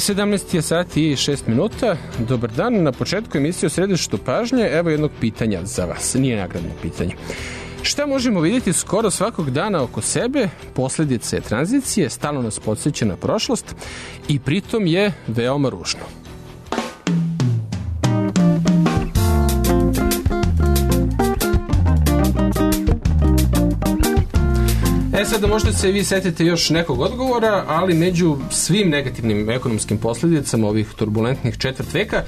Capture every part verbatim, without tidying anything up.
sedamnaest je sati i šest minuta. Dobar dan. Na početku emisije o središtu pažnje, evo jednog pitanja za vas. Nije nagradno pitanje. Šta možemo vidjeti skoro svakog dana oko sebe? Posljedice tranzicije, stalno nas podsjeća na prošlost i pritom je veoma ružno. E sad, možda se vi setite još nekog odgovora, ali među svim negativnim ekonomskim posljedicama ovih turbulentnih četvrt veka,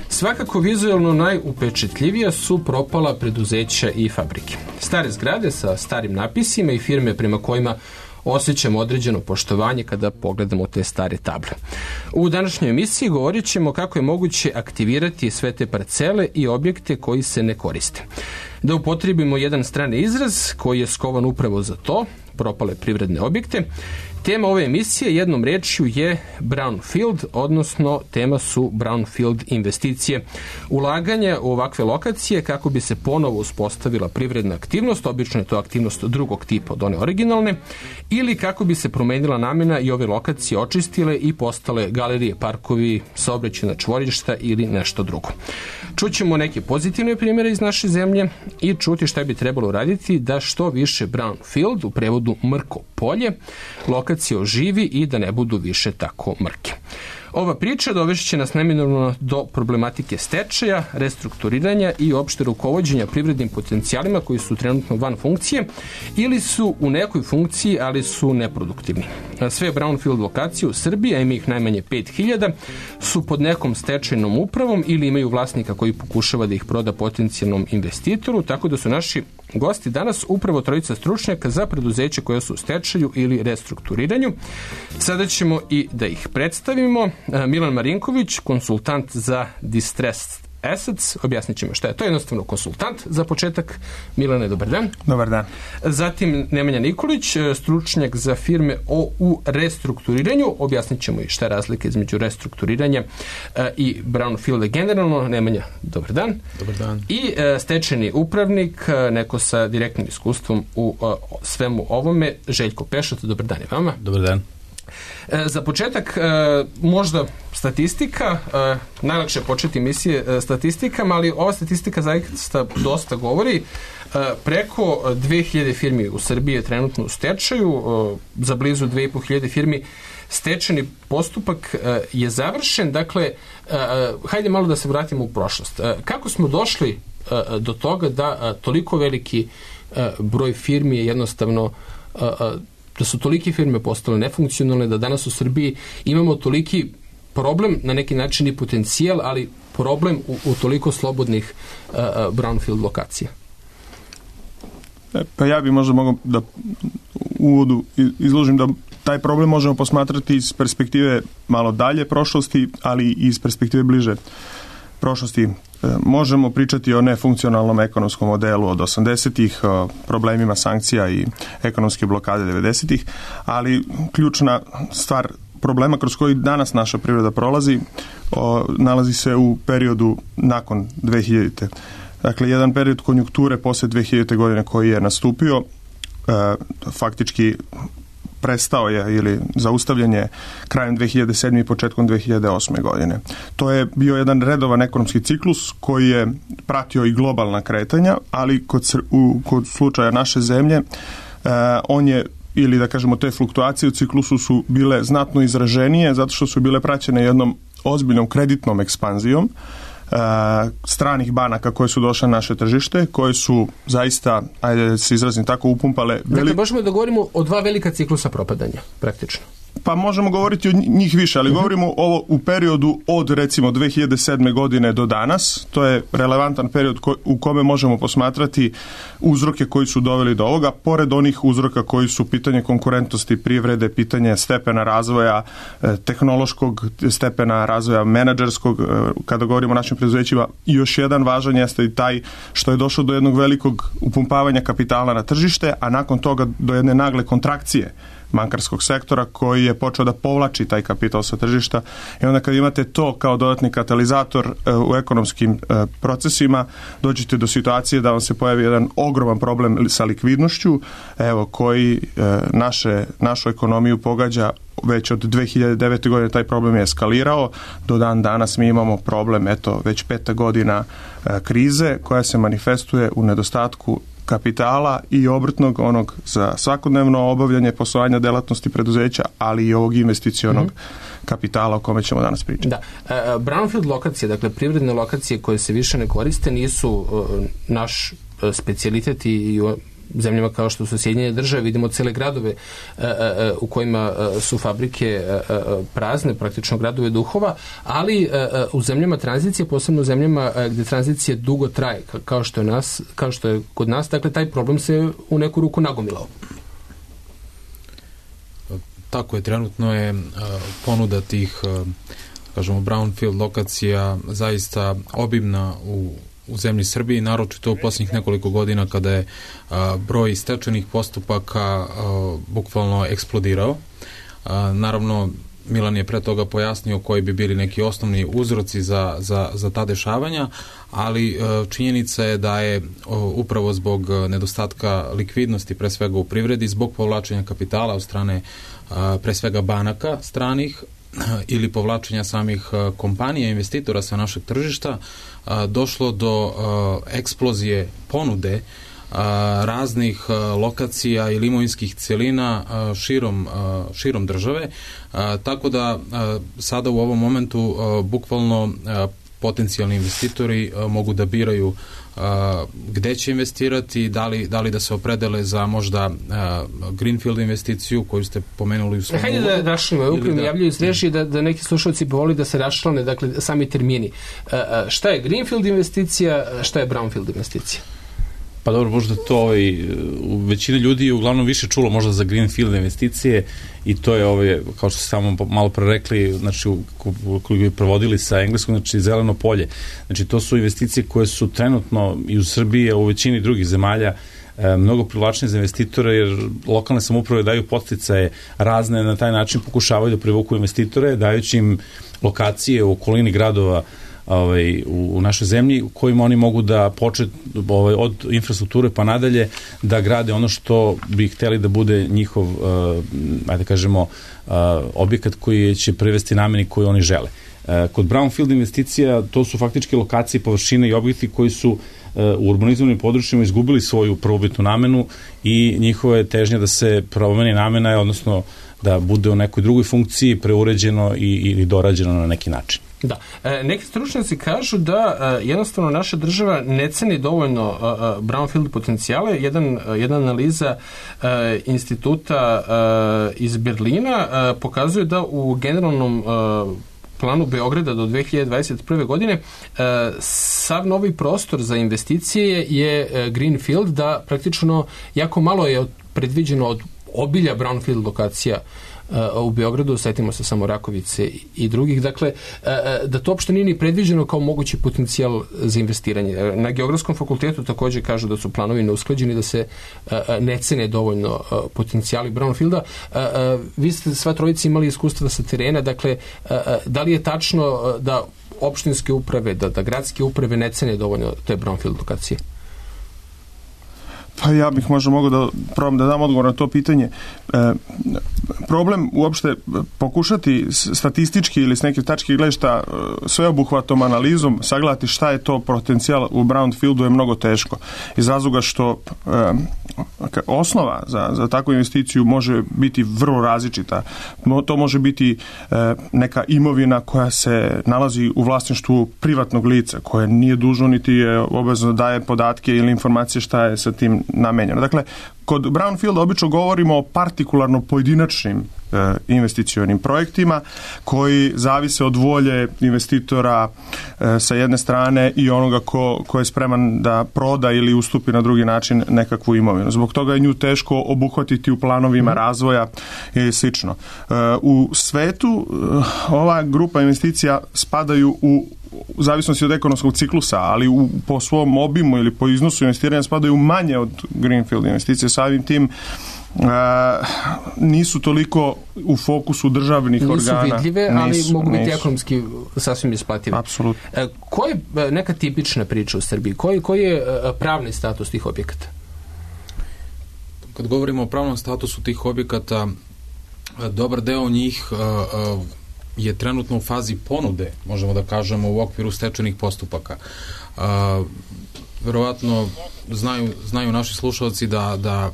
svakako vizualno najupečetljivija su propala preduzeća i fabrike. Stare zgrade sa starim napisima i firme prema kojima osjećamo određeno poštovanje kada pogledamo te stare table. U današnjoj emisiji govorit ćemo kako je moguće aktivirati sve te parcele i objekte koji se ne koriste. Da upotrijebimo jedan strani izraz koji je skovan upravo za to, propale privredne objekte. Tema ove emisije jednom rečju je brownfield, odnosno tema su brownfield investicije. Ulaganje u ovakve lokacije kako bi se ponovo uspostavila privredna aktivnost, obično je to aktivnost drugog tipa od one originalne, ili kako bi se promenila namjena i ove lokacije očistile i postale galerije, parkovi, saobraćajna čvorišta ili nešto drugo. Čućemo neke pozitivne primjere iz naše zemlje i čuti šta bi trebalo raditi da što više brownfield, u prevodu mrko polje, lokacije oživi i da ne budu više tako mrke. Ova priča dovešće nas neminovno do problematike stečaja, restrukturiranja i opšte rukovođenja privrednim potencijalima koji su trenutno van funkcije ili su u nekoj funkciji, ali su neproduktivni. Sve brownfield lokacije u Srbiji, a ima ih najmanje pet hiljada, su pod nekom stečajnom upravom ili imaju vlasnika koji pokušava da ih proda potencijalnom investitoru, tako da su naši gosti danas upravo trojica stručnjaka za preduzeće koje su u stečaju ili restrukturiranju. Sada ćemo i da ih predstavimo. Milan Marinković, konsultant za distressed assets. Objasnit ćemo šta je to. Jednostavno konsultant. Za početak, Milane, dobar dan. Dobar dan. Zatim Nemanja Nikolić, stručnjak za firme o, u restrukturiranju. Objasnit ćemo i šta je razlika između restrukturiranja i brownfielda generalno. Nemanja, dobar dan. Dobar dan. I stečajni upravnik, neko sa direktnim iskustvom u svemu ovome, Željko Pešat. Dobar dan i vama. Dobar dan. Za početak, možda statistika, najlakše je početi emisije statistikama, ali ova statistika zaista dosta govori. Preko dve hiljade firmi u Srbiji je trenutno u stečaju, za blizu dve i po hiljade firmi stečajni postupak je završen. Dakle, hajde malo da se vratimo u prošlost. Kako smo došli do toga da toliko veliki broj firmi je jednostavno da su tolike firme postale nefunkcionalne, da danas u Srbiji imamo toliki problem, na neki način i potencijal, ali problem u, u toliko slobodnih uh, brownfield lokacija? E, pa ja bih možda mogao da u uvodu izložim da taj problem možemo posmatrati iz perspektive malo dalje prošlosti, ali i iz perspektive bliže prošlosti. Možemo pričati o nefunkcionalnom ekonomskom modelu od osamdesetih, o problemima sankcija i ekonomske blokade devedesetih, ali ključna stvar problema kroz koji danas naša privreda prolazi o, nalazi se u periodu nakon dve hiljadite. Dakle, jedan period konjunkture posle dve hiljadite godine koji je nastupio, e, faktički prestao je ili zaustavljen je krajem dve hiljade sedme i početkom dve hiljade osme godine. To je bio jedan redovan ekonomski ciklus koji je pratio i globalna kretanja, ali kod, u, kod slučaja naše zemlje eh, on je, ili da kažemo te fluktuacije u ciklusu su bile znatno izraženije zato što su bile praćene jednom ozbiljnom kreditnom ekspanzijom stranih banaka koje su došle na naše tržište, koje su zaista, ajde da se izrazim tako, upumpale... Dakle, veli... možemo da govorimo o dva velika ciklusa propadanja, praktično. Pa možemo govoriti o njih više, ali uh-huh. govorimo ovo u periodu od recimo dve hiljade sedme godine do danas. To je relevantan period ko, u kome možemo posmatrati uzroke koji su doveli do ovoga, pored onih uzroka koji su pitanje konkurentnosti privrede, pitanje stepena razvoja, eh, tehnološkog stepena razvoja, menadžerskog, eh, kada govorimo o našim preduzećima. I još jedan važan jeste i taj što je došlo do jednog velikog upumpavanja kapitala na tržište, a nakon toga do jedne nagle kontrakcije bankarskog sektora koji je počeo da povlači taj kapital sa tržišta i onda kad imate to kao dodatni katalizator u ekonomskim procesima, dođete do situacije da vam se pojavi jedan ogroman problem sa likvidnošću, evo, koji naše, našu ekonomiju pogađa već od dve hiljade devete. godine. Taj problem je eskalirao. Do dan danas mi imamo problem, eto, već peta godina e, krize koja se manifestuje u nedostatku kapitala i obrtnog, onog za svakodnevno obavljanje poslovanja delatnosti preduzeća, ali i ovog investicionog mm-hmm. kapitala o kome ćemo danas pričati. Da. E, brownfield lokacije, dakle privredne lokacije koje se više ne koriste, nisu e, naš e, specijalitet i zemljama kao što su Sjedinjene države, vidimo cele gradove e, e, u kojima e, su fabrike e, e, prazne, praktično gradove duhova, ali e, u zemljama tranzicije, posebno u zemljama e, gde tranzicija dugo traje, kao što je nas, kao što je kod nas, dakle taj problem se u neku ruku nagomilao. Tako je, trenutno je uh, ponuda tih uh, kažemo brownfield lokacija zaista obimna u u zemlji Srbiji, naročito u posljednjih nekoliko godina kada je a, broj stečajnih postupaka a, bukvalno eksplodirao. A, naravno, Milan je pre toga pojasnio koji bi bili neki osnovni uzroci za, za, za ta dešavanja, ali a, činjenica je da je a, upravo zbog nedostatka likvidnosti, pre svega u privredi, zbog povlačenja kapitala od strane a, pre svega banaka stranih ili povlačenja samih kompanija, investitora sa našeg tržišta, došlo do eksplozije ponude raznih lokacija ili imovinskih celina širom, širom države, tako da sada u ovom momentu bukvalno potencijalni investitori mogu da biraju gde će investirati, da li, da li da se opredele za možda greenfield investiciju koju ste pomenuli u svom uvodu. Hajde da rašlimo, upravo mi javljaju iz režije da, da neki slušalci povoli da se rašlane, dakle, sami termini. Šta je greenfield investicija, šta je brownfield investicija? Pa dobro, možda to ovaj, u većini ljudi je uglavnom više čulo možda za greenfield investicije i to je, ovaj, kao što ste samo malo pre rekli, znači, koliko bi provodili sa engleskog, znači zeleno polje. Znači, to su investicije koje su trenutno i u Srbiji, a u većini drugih zemalja e, mnogo privlačnije za investitore, jer lokalne samouprave daju podsticaje razne, na taj način pokušavaju da privuku investitore, dajući im lokacije u okolini gradova Ovaj, u, u našoj zemlji u kojima oni mogu da počet ovaj, od infrastrukture pa nadalje da grade ono što bi hteli da bude njihov uh, ajde kažemo uh, objekat koji će privesti nameni koju oni žele. Uh, kod brownfield investicija to su faktički lokacije, površine i objekti koji su uh, u urbanizovanim područjima izgubili svoju prvobitnu namenu i njihova je težnja da se promeni namena, odnosno da bude u nekoj drugoj funkciji preuređeno i, ili dorađeno na neki način. Da. E, neki stručnjaci kažu da e, jednostavno naša država ne ceni dovoljno e, brownfield potencijale. Jedan, jedna analiza e, instituta e, iz Berlina e, pokazuje da u generalnom e, planu Beograda do dve hiljade dvadeset prve. godine e, sav novi prostor za investicije je e, greenfield, da praktično jako malo je predviđeno od obilja brownfield lokacija u Beogradu, setimo se samo Rakovice i drugih, dakle, da to uopšte nije ni predviđeno kao mogući potencijal za investiranje. Na Geografskom fakultetu također kažu da su planovi neusklađeni, da se ne cene dovoljno potencijali brownfielda. Vi ste sva trojica imali iskustva sa terena, dakle, da li je tačno da opštinske uprave, da, da gradske uprave ne cene dovoljno te brownfield lokacije? Pa ja bih možda mogao da probam da dam odgovor na to pitanje. E, problem uopšte pokušati statistički ili s neke tačke gledišta sveobuhvatnom analizom sagledati šta je to potencijal u brownfieldu je mnogo teško. Iz razloga što e, osnova za, za takvu investiciju može biti vrlo različita. To može biti e, neka imovina koja se nalazi u vlasništvu privatnog lica, koje nije dužno niti je obavezno da daje podatke ili informacije šta je sa tim namenjeno. Dakle, kod brownfielda obično govorimo o partikularno pojedinačnim e, investicionim projektima koji zavise od volje investitora e, sa jedne strane i onoga ko, ko je spreman da proda ili ustupi na drugi način nekakvu imovinu. Zbog toga je nju teško obuhvatiti u planovima mm. razvoja i slično. E, u svetu e, ova grupa investicija spadaju u u zavisnosti od ekonomskog ciklusa, ali u, po svom obimu ili po iznosu investiranja spadaju manje od greenfield investicije. Samim tim A, nisu toliko u fokusu državnih nisu organa. Nisu vidljive, ali nisu, mogu biti nisu. ekonomski sasvim isplative. Apsolutno. E, koji je neka tipična priča u Srbiji? Koji, koji je pravni status tih objekata? Kad govorimo o pravnom statusu tih objekata, dobar deo njih je trenutno u fazi ponude, možemo da kažemo, u okviru stečajnih postupaka. Verovatno znaju, znaju naši slušalci da, da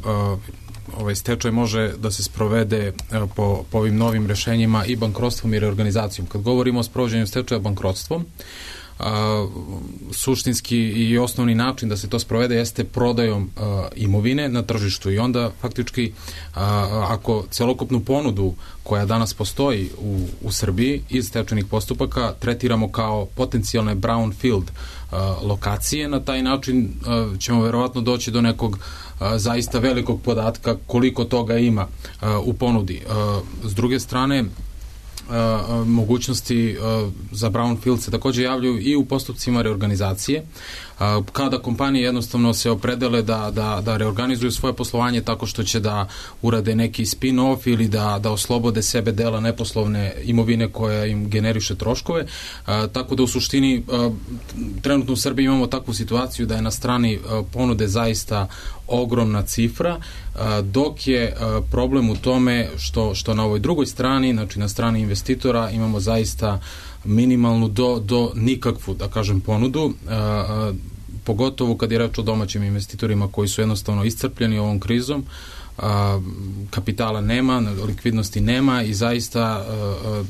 ovaj stečaj može da se sprovede po, po ovim novim rešenjima i bankrotstvom i reorganizacijom. Kad govorimo o sprovođenju stečaja bankrotstvom, a, suštinski i osnovni način da se to sprovede jeste prodajom a, imovine na tržištu i onda faktički a, ako celokupnu ponudu koja danas postoji u, u Srbiji iz stečajnih postupaka tretiramo kao potencijalne brownfield a, lokacije, na taj način a, ćemo verovatno doći do nekog a, zaista velikog podatka koliko toga ima a, u ponudi. A, s druge strane, Uh, mogućnosti uh, za brownfield se takođe javljaju i u postupcima reorganizacije. Uh, kada kompanije jednostavno se opredele da, da, da reorganizuju svoje poslovanje tako što će da urade neki spin-off ili da, da oslobode sebe dela neposlovne imovine koja im generiše troškove. Uh, tako da u suštini uh, trenutno u Srbiji imamo takvu situaciju da je na strani uh, ponude zaista ogromna cifra, uh, dok je uh, problem u tome što, što na ovoj drugoj strani, znači na strani investitora, imamo zaista minimalnu do, do nikakvu, da kažem, ponudu, uh, uh, pogotovo kad je reč o domaćim investitorima koji su jednostavno iscrpljeni ovom krizom, uh, kapitala nema, likvidnosti nema i zaista uh, uh,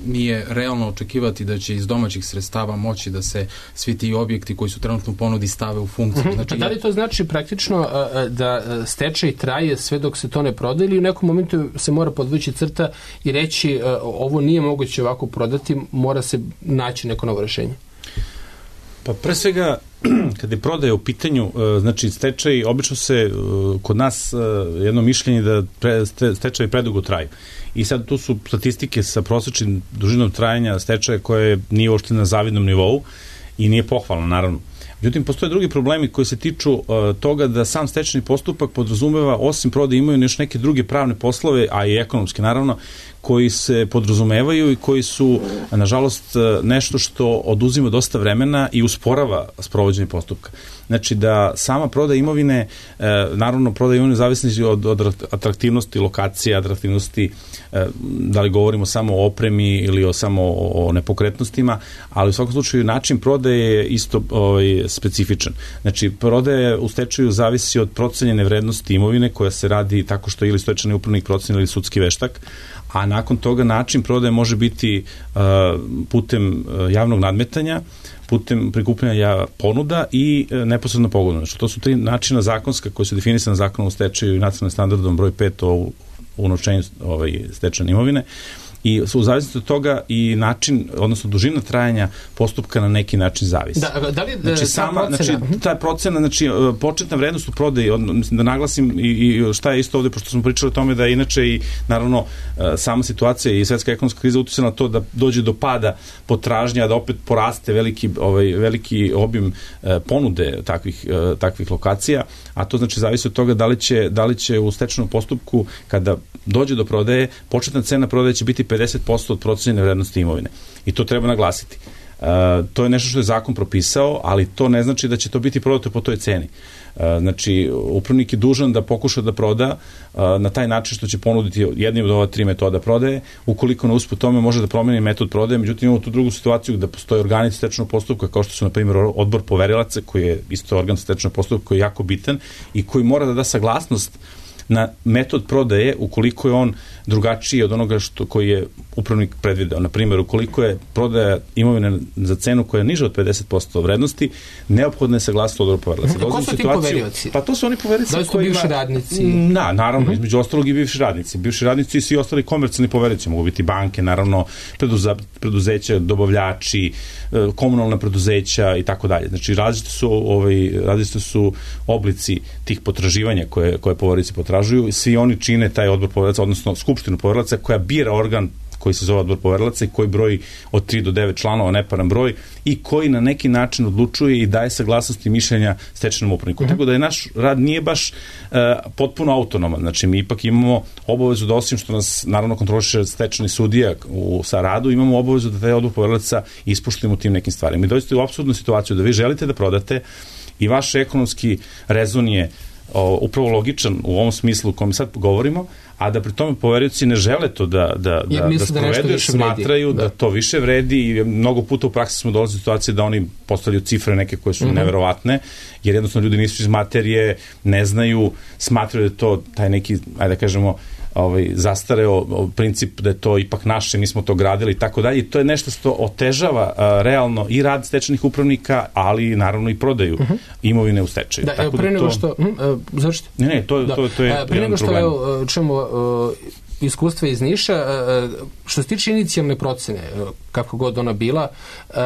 nije realno očekivati da će iz domaćih sredstava moći da se svi ti objekti koji su trenutno u ponudi stave u funkciju. Znači, da li to znači praktično da stečaj traje sve dok se to ne proda ili u nekom momentu se mora podvući crta i reći ovo nije moguće ovako prodati, mora se naći neko novo rešenje? Pa pre svega, kada je prodaja u pitanju, znači stečaj, obično se kod nas jedno mišljenje da pre, stečaj predugo traju. I sad tu su statistike sa prosečnim dužinom trajanja stečaja koje nije uopšte na zavidnom nivou i nije pohvalno, naravno. Međutim, postoje drugi problemi koji se tiču uh, toga da sam stečajni postupak podrazumeva, osim prodaje imovine, još neke druge pravne poslove, a i ekonomske, naravno, koji se podrazumevaju i koji su, nažalost, nešto što oduzima dosta vremena i usporava sprovođenje postupka. Znači da sama prodaja imovine, naravno prodaja imovine zavisni od, od atraktivnosti lokacije, atraktivnosti, da li govorimo samo o opremi ili o samo o nepokretnostima, ali u svakom slučaju način prodaje je isto ovaj, specifičan. Znači prodaja u stečaju zavisi od procenjene vrednosti imovine koja se radi tako što ili stečajni upravnik proceni ili sudski veštak, a nakon toga način prodaje može biti uh, putem uh, javnog nadmetanja, putem prikupljanja ponuda i uh, neposredno pogodno. Znači, to su tri načina zakonska koji su definisane zakonom o stečaju i nacionalnim standardom broj pet o unovčenju ovaj, stečajne imovine. I u zavisnosti od toga i način, odnosno dužina trajanja postupka na neki način zavisi. Da, da li, znači, sama, znači, ta procena, znači, početna vrednost u prodaji, od, mislim, da naglasim i, i šta je isto ovde, pošto smo pričali o tome da je inače i, naravno, sama situacija i svetska ekonomska kriza utjecala na to da dođe do pada potražnja, da opet poraste veliki, ovaj, veliki obim eh, ponude takvih, eh, takvih lokacija, a to znači zavisi od toga da li će, da li će u stečajnom postupku, kada dođe do prodaje, početna cena prodaje će biti pedeset posto od procenjene vrednosti imovine. I to treba naglasiti. Uh, to je nešto što je zakon propisao, ali to ne znači da će to biti prodato po toj ceni. Uh, znači, upravnik je dužan da pokuša da proda uh, na taj način što će ponuditi jednim od ova tri metoda prodaje. Ukoliko na usput tome može da promeni metod prodaje, međutim imamo tu drugu situaciju da postoje organi stečajnog postupka, kao što su, na primjer, odbor poverilaca, koji je isto organ stečajnog postupka, koji je jako bitan i koji mora da da saglasnost na metod prodaje ukoliko je on drugačiji od onoga što koji je upravnik predvideo. Na primjer, ukoliko je prodaja imovine za cenu koja je niža od pedeset posto vrednosti, neophodna je saglasnost odbora poverilaca. Ko su ti poverioci? Pa to su oni poverioci. Da li su bivši radnici? Da, naravno, uh-huh. između ostalog i bivši radnici. Bivši radnici i svi ostali komercijalni poverioci. Mogu biti banke, naravno, preduza, preduzeća, dobavljači, komunalna preduzeća i tako dalje. Znači, različite su, ovaj, različite su oblici tih potraživanja koje, koje poverioci potražuju. Svi oni čine taj odbor poverilaca, odnosno skupštinu poverilaca koja bira organ koji se zove odbor poverilaca i koji broji od tri do devet članova, neparan broj, i koji na neki način odlučuje i daje saglasnost i mišljenja stečajnom upravniku. Mm-hmm. Tako da je naš rad nije baš uh, potpuno autonoman. Znači, mi ipak imamo obavezu da, osim što nas naravno kontroliše stečajni sudija u, sa radu, imamo obavezu da taj odbor poverilaca ispoštujemo tim nekim stvarima. Mi dođete u apsurdnu situaciju da vi želite da prodate i vaš ekonomski rezon je o, upravo logičan u ovom smislu u kojem sad govorimo, a da pri tome poverioci ne žele to da, da, da, da sprovedu, jer smatraju da. da to više vredi i mnogo puta u praksi smo dolazili u situacije da oni postavljaju cifre neke koje su mm-hmm. neverovatne, jer jednostavno ljudi nisu iz materije, ne znaju, smatraju da to taj neki, ajde da kažemo, ovaj, zastareo princip da je to ipak naše, mi smo to gradili i tako dalje, i to je nešto što otežava a, realno i rad stečajnih upravnika, ali naravno i prodaju uh-huh. imovine u stečaju. Da, tako evo, pre nego to... što... Hm, uh, završite? Ne, ne, to, da. to, to je uh, pre nego što evo, čujemo uh, iskustva iz Niša, uh, što se tiče inicijalne procene, uh, kako god ona bila, uh,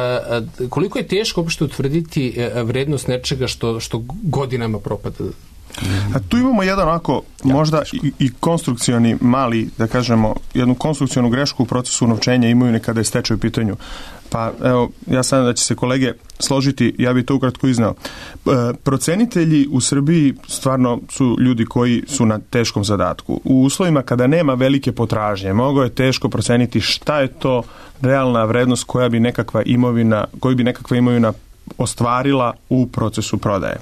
uh, koliko je teško uopšte utvrditi uh, vrednost nečega što, što godinama propada? A tu imamo jedan onako možda i, i konstrukcioni mali, da kažemo, jednu konstrukcionu grešku u procesu unovčenja imovine kada je stečaj u pitanju. Pa evo, ja sam da će se kolege složiti, ja bih to ukratko izneo. E, procenitelji u Srbiji stvarno su ljudi koji su na teškom zadatku. U uslovima kada nema velike potražnje, mnogo je teško proceniti šta je to realna vrednost koja bi nekakva imovina, koju bi nekakva imovina ostvarila u procesu prodaje.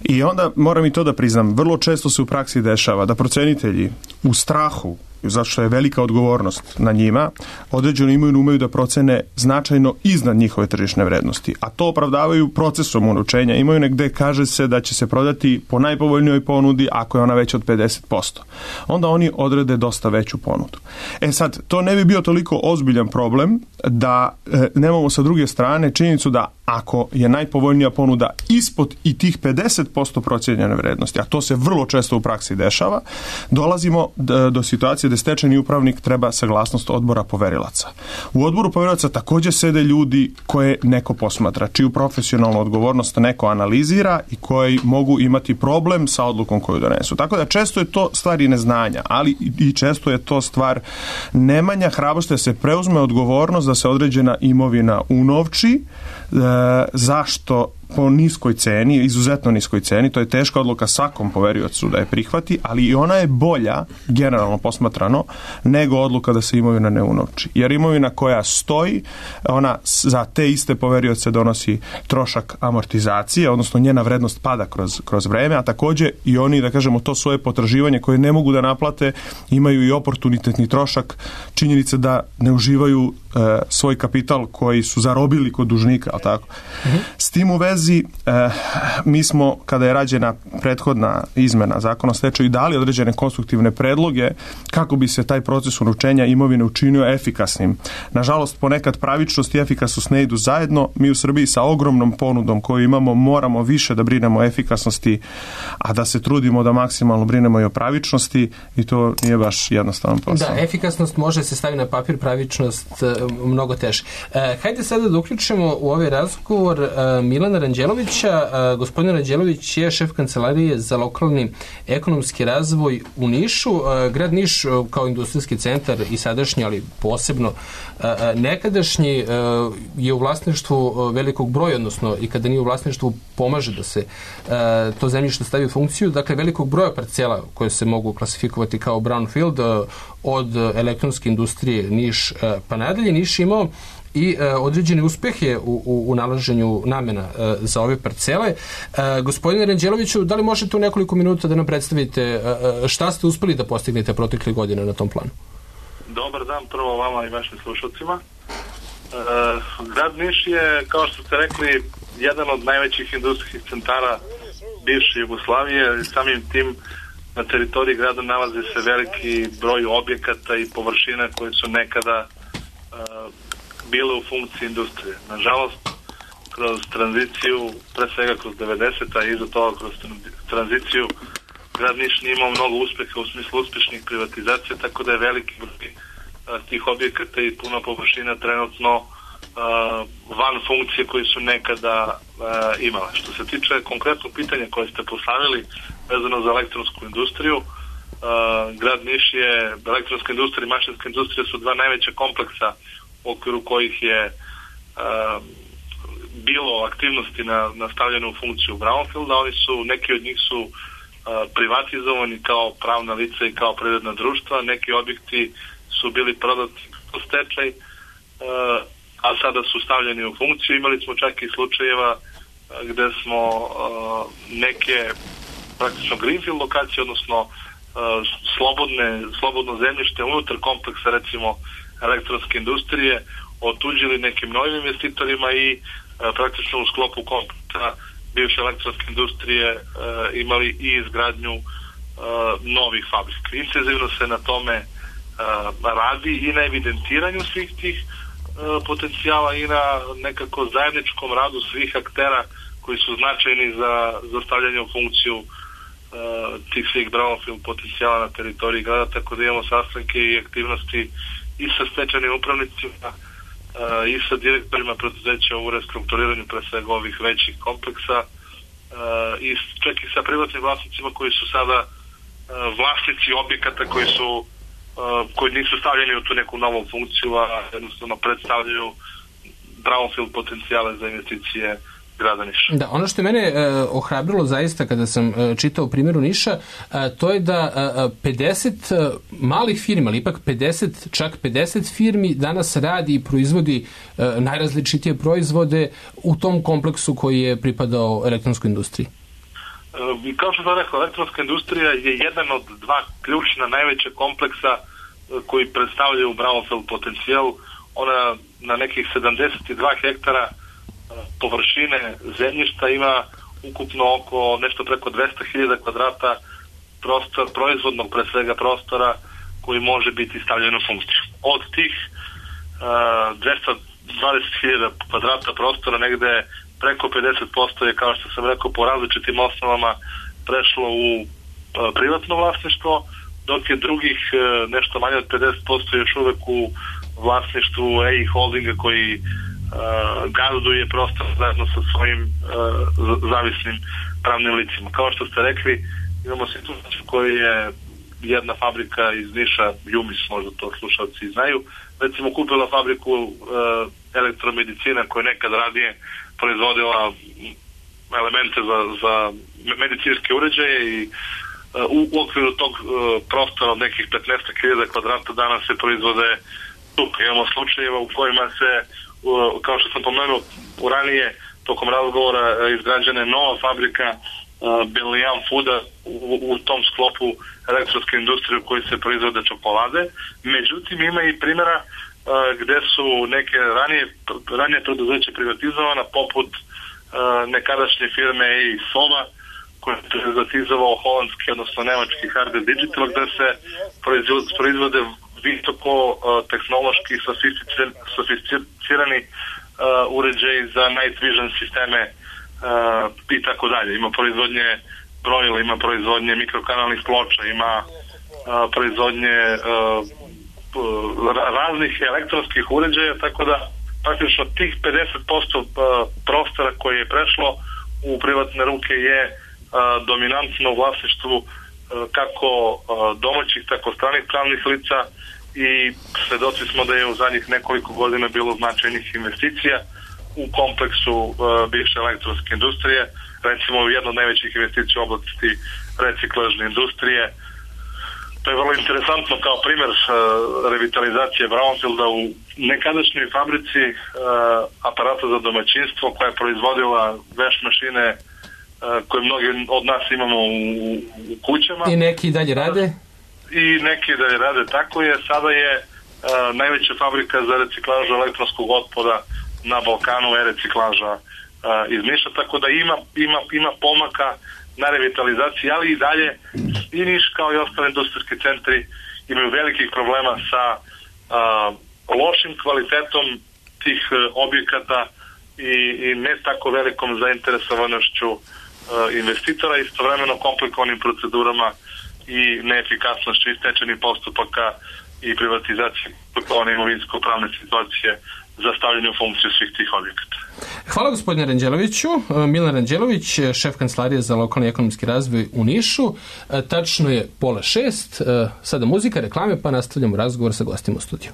I onda moram i to da priznam, vrlo često se u praksi dešava da procenitelji u strahu, zašto je velika odgovornost na njima, određenu imovinu umeju da procene značajno iznad njihove tržišne vrednosti. A to opravdavaju procesom unovčenja imovine gde kaže se da će se prodati po najpovoljnijoj ponudi ako je ona veća od pedeset posto. Onda oni odrede dosta veću ponudu. E sad, to ne bi bio toliko ozbiljan problem da e, nemamo sa druge strane činjenicu da ako je najpovoljnija ponuda ispod i tih pedeset posto procijenjene vrednosti, a to se vrlo često u praksi dešava, dolazimo do, do situacije da stečajni upravnik treba saglasnost odbora poverilaca. U odboru poverilaca također sede ljudi koje neko posmatra, čiju profesionalnu odgovornost neko analizira i koji mogu imati problem sa odlukom koju donesu. Tako da često je to stvar i neznanja, ali i često je to stvar nemanja hrabrosti da se preuzme odgovornost da se određena imovina unovči. E, zašto? Po niskoj ceni, izuzetno niskoj ceni, to je teška odluka svakom poveriocu da je prihvati, ali i ona je bolja, generalno posmatrano, nego odluka da se imovina ne unovči. Jer imovina koja stoji, ona za te iste poverioce donosi trošak amortizacije, odnosno njena vrednost pada kroz, kroz vreme, a također i oni, da kažemo, to svoje potraživanje koje ne mogu da naplate, imaju i oportunitetni trošak, činjenice da ne uživaju e, svoj kapital koji su zarobili kod dužnika, ali tako. Mm-hmm. S tim u vezi Eh, mi smo, kada je rađena prethodna izmena zakona o stečaju, dali određene konstruktivne predloge kako bi se taj proces unovčenja imovine učinio efikasnim. Nažalost, ponekad pravičnost i efikasnost ne idu zajedno. Mi u Srbiji sa ogromnom ponudom koju imamo moramo više da brinemo o efikasnosti, a da se trudimo da maksimalno brinemo i o pravičnosti, i to nije baš jednostavan posao. Da, efikasnost može se staviti na papir, pravičnost e, mnogo teže. E, hajde sada da uključimo u ovaj razgovor e, Milana Ranđelovića. Gospodin Ranđelović je šef kancelarije za lokalni ekonomski razvoj u Nišu. Grad Niš kao industrijski centar i sadašnji, ali posebno nekadašnji, je u vlasništvu velikog broja, odnosno i kada nije u vlasništvu pomaže da se to zemljište stavi u funkciju. Dakle, velikog broja parcela koje se mogu klasifikovati kao brownfield, od elektronske industrije Niš pa nadalje. Niš imao i e, određene uspehe u, u, u nalaženju namena e, za ove parcele. E, gospodine Ranđeloviću, da li možete u nekoliko minuta da nam predstavite e, šta ste uspeli da postignete protekle godine na tom planu? Dobar dan prvo vama i vašim slušalcima. E, grad Niš je, kao što ste rekli, jedan od najvećih industrijskih centara bivše Jugoslavije i samim tim na teritoriji grada nalazi se veliki broj objekata i površina koje su nekada e, bile u funkciji industrije. Nažalost, kroz tranziciju, pre svega kroz devedeseta i iza toga kroz tranziciju, grad Niš nije imao mnogo uspeha u smislu uspešnih privatizacija, tako da je veliki broj tih objekata i puno površina trenutno uh, van funkcije koji su nekada uh, imale. Što se tiče konkretnog pitanja koje ste postavili vezano za elektronsku industriju, grad Niš je, elektronska industrija i mašinska industrija su dva najveća kompleksa u okviru kojih je bilo aktivnosti na, na stavljanju u funkciju brownfielda. Oni su, neki od njih su privatizovani kao pravna lica i kao privredna društva, neki objekti su bili prodati u stečaj, a sada su stavljeni u funkciju. Imali smo čak i slučajeva gde smo neke praktično greenfield lokacije, odnosno slobodne, slobodno zemljište unutar kompleksa, recimo elektronske industrije, otuđili nekim novim investitorima i praktično u sklopu kompleksa bivše elektronske industrije imali i izgradnju novih fabrika. Intenzivno se na tome radi i na evidentiranju svih tih potencijala i na nekako zajedničkom radu svih aktera koji su značajni za, za stavljanje u funkciju tih svih brownfield potencijala na teritoriji grada, tako da imamo sastanke i aktivnosti i sa stečajnim upravnicima i sa direktorima preduzeća u restrukturiranju pre svega ovih većih kompleksa i čak i sa privatnim vlasnicima koji su sada vlasnici objekata koji su koji nisu stavljeni u tu neku novu funkciju, a jednostavno predstavljaju brownfield potencijale za investicije grada Niša. Da, ono što je mene e, ohrabrilo zaista kada sam e, čitao u primjeru Niša, e, to je da e, pedeset e, malih firmi, ali ipak pedeset, čak pedeset firmi danas radi i proizvodi e, najrazličitije proizvode u tom kompleksu koji je pripadao elektronskoj industriji. E, kao što sam rekao, elektronska industrija je jedan od dva ključna najveća kompleksa e, koji predstavljaju brownfield potencijal. Ona na nekih sedamdeset dva hektara površine zemljišta ima ukupno oko nešto preko dvesta hiljada kvadrata prostor, proizvodnog pre svega prostora koji može biti stavljen u funkciju. Od tih uh, dvesta dvadeset hiljada kvadrata prostora negde preko pedeset posto je, kao što sam rekao, po različitim osnovama prešlo u uh, privatno vlasništvo, dok je drugih uh, nešto manje od pedeset posto još uvek u vlasništvu E I Holdinga koji Uh, gazduje prostor zajedno sa svojim uh, zavisnim pravnim licima. Kao što ste rekli, imamo situaciju koja je jedna fabrika iz Niša, Jumis, možda to slušalci znaju, recimo kupila fabriku uh, elektromedicina koja nekad radije proizvodila elemente za, za medicinske uređaje i uh, u, u okviru tog uh, prostora od nekih petnaest hiljada kvadrata danas se proizvode tuka. Imamo slučajeva u kojima se, kao što sam pomenuo u ranije, tokom razgovora izgrađena nova fabrika Belian Fooda u, u tom sklopu elektronske industrije u kojoj se proizvode čokolade. Međutim, ima i primjera gde su neke ranije, ranije preduzeće privatizovana, poput nekadašnje firme E I Sova, koja je privatizovao holandski, odnosno nemački Harder Digital, gde se proizvode visoko uh, tehnološki sofisticirani uh, uređaji za night vision sisteme uh, i tako dalje. Ima proizvodnje brojila, ima proizvodnje mikrokanalnih ploča, ima uh, proizvodnje uh, raznih elektronskih uređaja, tako da praktično tih pedeset posto uh, prostora koje je prešlo u privatne ruke je uh, dominantno u vlasništvu uh, kako uh, domaćih, tako stranih pravnih lica, i svedoci smo da je u zadnjih nekoliko godina bilo značajnih investicija u kompleksu uh, bivše elektronske industrije. Recimo, jedna od najvećih investicija u oblasti reciklažne industrije. To je vrlo interesantno kao primjer uh, revitalizacije brownfielda u nekadašnjoj fabrici uh, aparata za domaćinstvo koja je proizvodila veš mašine uh, koje mnogi od nas imamo u, u kućama. I neki dalje rade? I neki da je rade tako je. Sada je uh, najveća fabrika za reciklažu elektronskog otpada na Balkanu, e-reciklaža uh, iz Niša, tako da ima, ima, ima pomaka na revitalizaciji, ali i dalje i Niš kao i ostale industrijski centri imaju velikih problema sa uh, lošim kvalitetom tih uh, objekata i, i ne tako velikom zainteresovanošću uh, investitora, istovremeno komplikovanim procedurama i neefikasnošću i stečajnih postupaka i privatizacije komplikovanih imovinsko-pravne situacije za stavljanje u funkciju svih tih objekata. Hvala gospodine Ranđeloviću. Milan Ranđelović, šef kancelarije za lokalni ekonomski razvoj u Nišu. Tačno je pola šest. Sada muzika, reklame, pa nastavljamo razgovor sa gostima u studiju.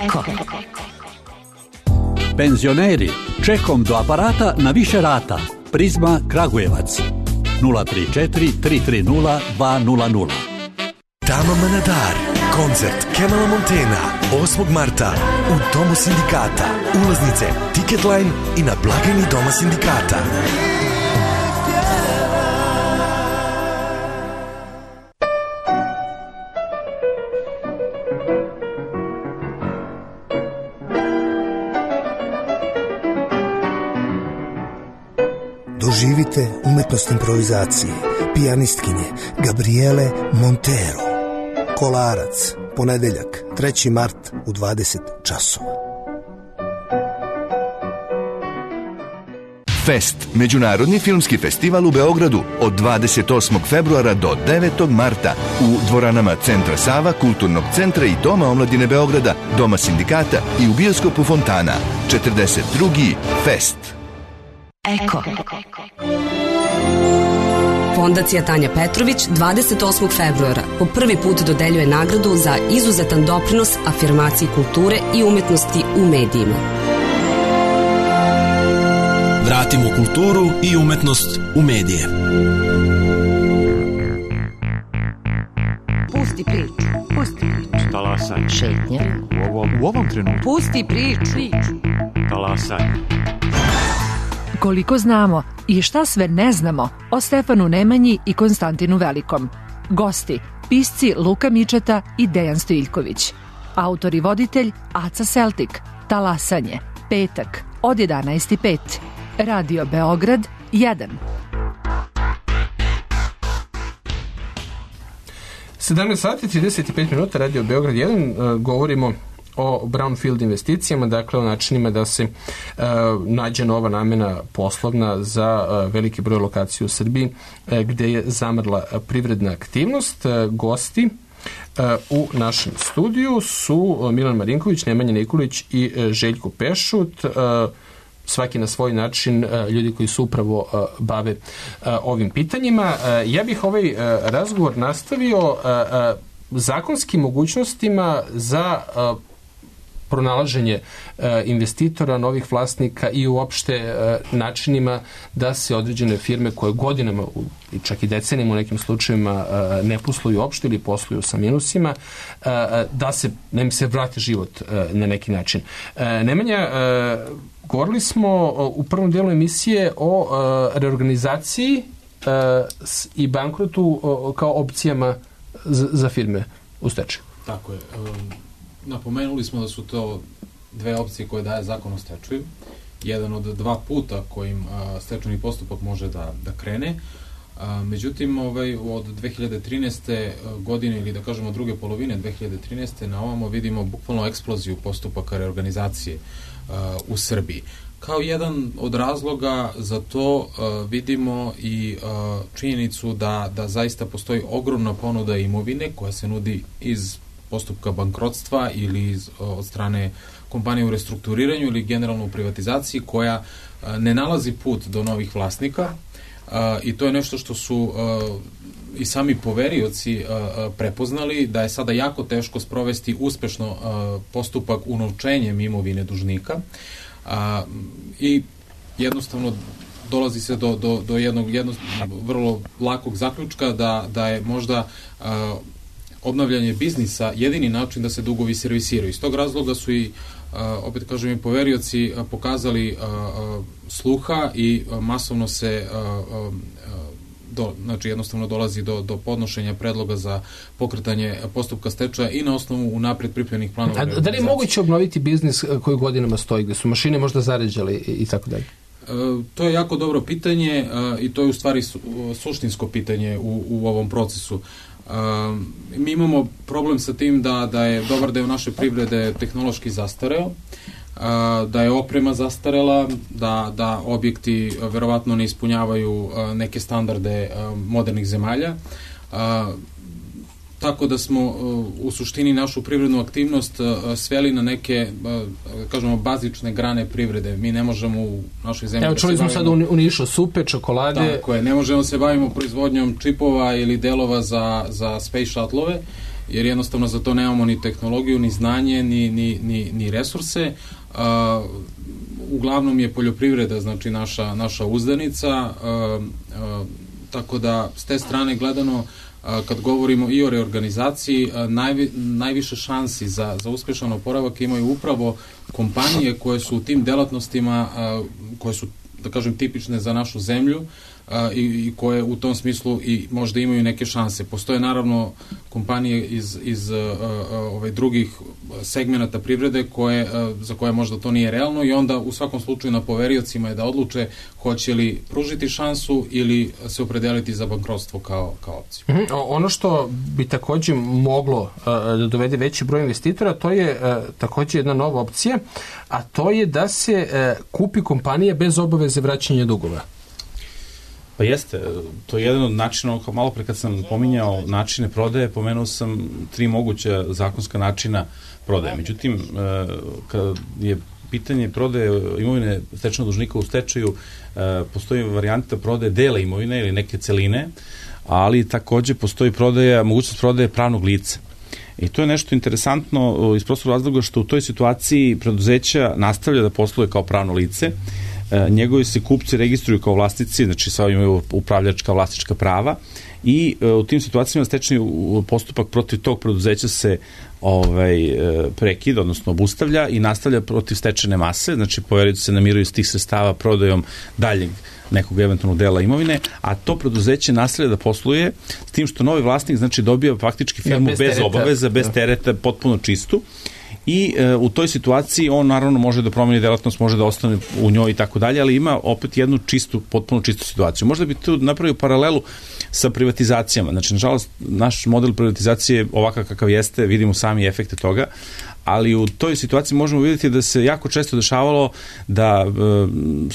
Eko. Penzioneri, čekom do aparata na više rata. Prizma Kragujevac. nula tri četiri tri tri nula dva nula nula. Tama Manadar. Koncert Kemala Montena osmog marta u Domu sindikata. Ulaznice Ticketline i na blagajni Doma sindikata. Doživite umetnost improvizacije pijanistkinje Gabriele Montero. Kolarac, ponedeljak, treći mart u dvadeset časova. Fest, međunarodni filmski festival u Beogradu od dvadeset osmog februara do devetog marta u dvoranama Centra Sava, Kulturnog centra i Doma omladine Beograda, Doma sindikata i u bioskopu Fontana. četrdeset drugi Fest. Eko. Fondacija Tanja Petrović dvadeset osmog februara po prvi put dodeljuje nagradu za izuzetan doprinos afirmaciji kulture i umetnosti u medijima. Vratimo kulturu i umetnost u medije. Pusti priču. Pusti priču. Talasaj. Šetnja. U ovom, u ovom trenutku. Pusti priču. Talasaj. Koliko znamo i šta sve ne znamo o Stefanu Nemanji i Konstantinu Velikom. Gosti, pisci Luka Mičeta i Dejan Stojiljković. Autor i voditelj Aca Seltik. Talasanje. Petak od jedanaest i pet. Radio Beograd jedan. sedamnaest sati trideset pet minuta, Radio Beograd jedan, govorimo o brownfield investicijama, dakle o načinima da se uh, nađe nova namena poslovna za uh, veliki broj lokacija u Srbiji uh, gde je zamrla privredna aktivnost. Uh, gosti uh, u našem studiju su uh, Milan Marinković, Nemanja Nikolić i uh, Željko Pešut, uh, svaki na svoj način uh, ljudi koji su upravo uh, bave uh, ovim pitanjima. Uh, ja bih ovaj uh, razgovor nastavio uh, uh, zakonskim mogućnostima za uh, pronalaženje e, investitora, novih vlasnika i uopšte e, načinima da se određene firme koje godinama i čak i decenijama u nekim slučajevima e, ne posluju uopšte ili posluju sa minusima, e, da se, da im se vrati život e, na neki način. E, Nemanja, e, govorili smo o, u prvom delu emisije o e, reorganizaciji e, s, i bankrotu o, kao opcijama za, za firme u stečaju. Tako je. Um... Napomenuli smo da su to dve opcije koje daje zakon o stečaju. Jedan od dva puta kojim a, stečajni postupak može da, da krene. A, međutim, ovaj, od dve hiljade trinaeste. godine, ili da kažemo druge polovine dve hiljade trinaeste. na ovamo vidimo bukvalno eksploziju postupaka reorganizacije a, u Srbiji. Kao jedan od razloga za to a, vidimo i a, činjenicu da, da zaista postoji ogromna ponuda imovine koja se nudi iz postupka bankrotstva ili iz, od strane kompanije u restrukturiranju ili generalno u privatizaciji koja a, ne nalazi put do novih vlasnika a, i to je nešto što su a, i sami poverioci a, a, prepoznali da je sada jako teško sprovesti uspešno a, postupak unovčenjem imovine dužnika a, i jednostavno dolazi se do, do, do jednog, jednog vrlo lakog zaključka da, da je možda a, obnavljanje biznisa jedini način da se dugovi servisiraju. Iz tog razloga su i, a, opet kažem, i poverioci a, pokazali a, a, sluha i a, masovno se a, a, do, znači jednostavno dolazi do, do podnošenja predloga za pokretanje postupka stečaja i na osnovu unapred pripremljenih planova. A da li je moguće obnoviti biznis koji godinama stoji, gde su mašine možda zaređale i, i tako dalje? E, to je jako dobro pitanje a, i to je u stvari su, suštinsko pitanje u, u ovom procesu. Uh, mi imamo problem sa tim da, da je dobar deo naše privrede tehnološki zastareo, uh, da je oprema zastarela, da, da objekti uh, verovatno ne ispunjavaju uh, neke standarde uh, modernih zemalja. Uh, tako da smo uh, u suštini našu privrednu aktivnost uh, sveli na neke, uh, kažemo, bazične grane privrede. Mi ne možemo u našoj zemlji... Evo, čuli smo sad u Nišu supe, čokolade... Tako je, ne možemo se bavimo proizvodnjom čipova ili delova za, za space shuttle-ove, jer jednostavno za to nemamo ni tehnologiju, ni znanje, ni, ni, ni, ni resurse. Uh, uglavnom je poljoprivreda, znači naša, naša uzdanica, uh, uh, tako da s te strane gledano kad govorimo i o reorganizaciji, najvi, najviše šansi za, za uspešan oporavak imaju upravo kompanije koje su u tim delatnostima, koje su, da kažem, tipične za našu zemlju i, i koje u tom smislu i možda imaju neke šanse. Postoje naravno kompanije iz, iz ovaj, drugih segmenata privrede koje, za koje možda to nije realno i onda u svakom slučaju na poveriocima je da odluče hoće li pružiti šansu ili se opredeliti za bankrotstvo kao, kao opciju. Mm-hmm. Ono što bi takođe moglo uh, da dovede veći broj investitora, to je uh, takođe jedna nova opcija, a to je da se uh, kupi kompanija bez obaveze vraćanja dugova. Pa jeste, to je jedan od načina, kao malo pre kad sam pominjao načine prodaje, pomenuo sam tri moguća zakonska načina prodaje. Međutim, kad je pitanje prodaje imovine stečajnog dužnika u stečaju, postoji varijanta prodaje dela imovine ili neke celine, ali takođe postoji prodaja, mogućnost prodaje pravnog lica. I to je nešto interesantno iz prostog razloga što u toj situaciji preduzeća nastavlja da posluje kao pravno lice, njegovi se kupci registruju kao vlasnici, znači sva imaju upravljačka vlasnička prava i u tim situacijama stečajni postupak protiv tog preduzeća se ovaj, prekida, odnosno obustavlja i nastavlja protiv stečajne mase, znači poverioci se namiruju s tih sredstava prodajom daljeg nekog eventualnog dela imovine, a to preduzeće nastavlja da posluje s tim što novi vlasnik znači dobija faktički firmu bez, bez obaveza, bez tereta, potpuno čistu. i e, u toj situaciji on naravno može da promeni delatnost, može da ostane u njoj i tako dalje, ali ima opet jednu čistu, potpuno čistu situaciju. Možda bi tu napravio paralelu sa privatizacijama. Znači, nažalost, naš model privatizacije ovakav kakav jeste, vidimo sami efekte toga, ali u toj situaciji možemo vidjeti da se jako često dešavalo da e,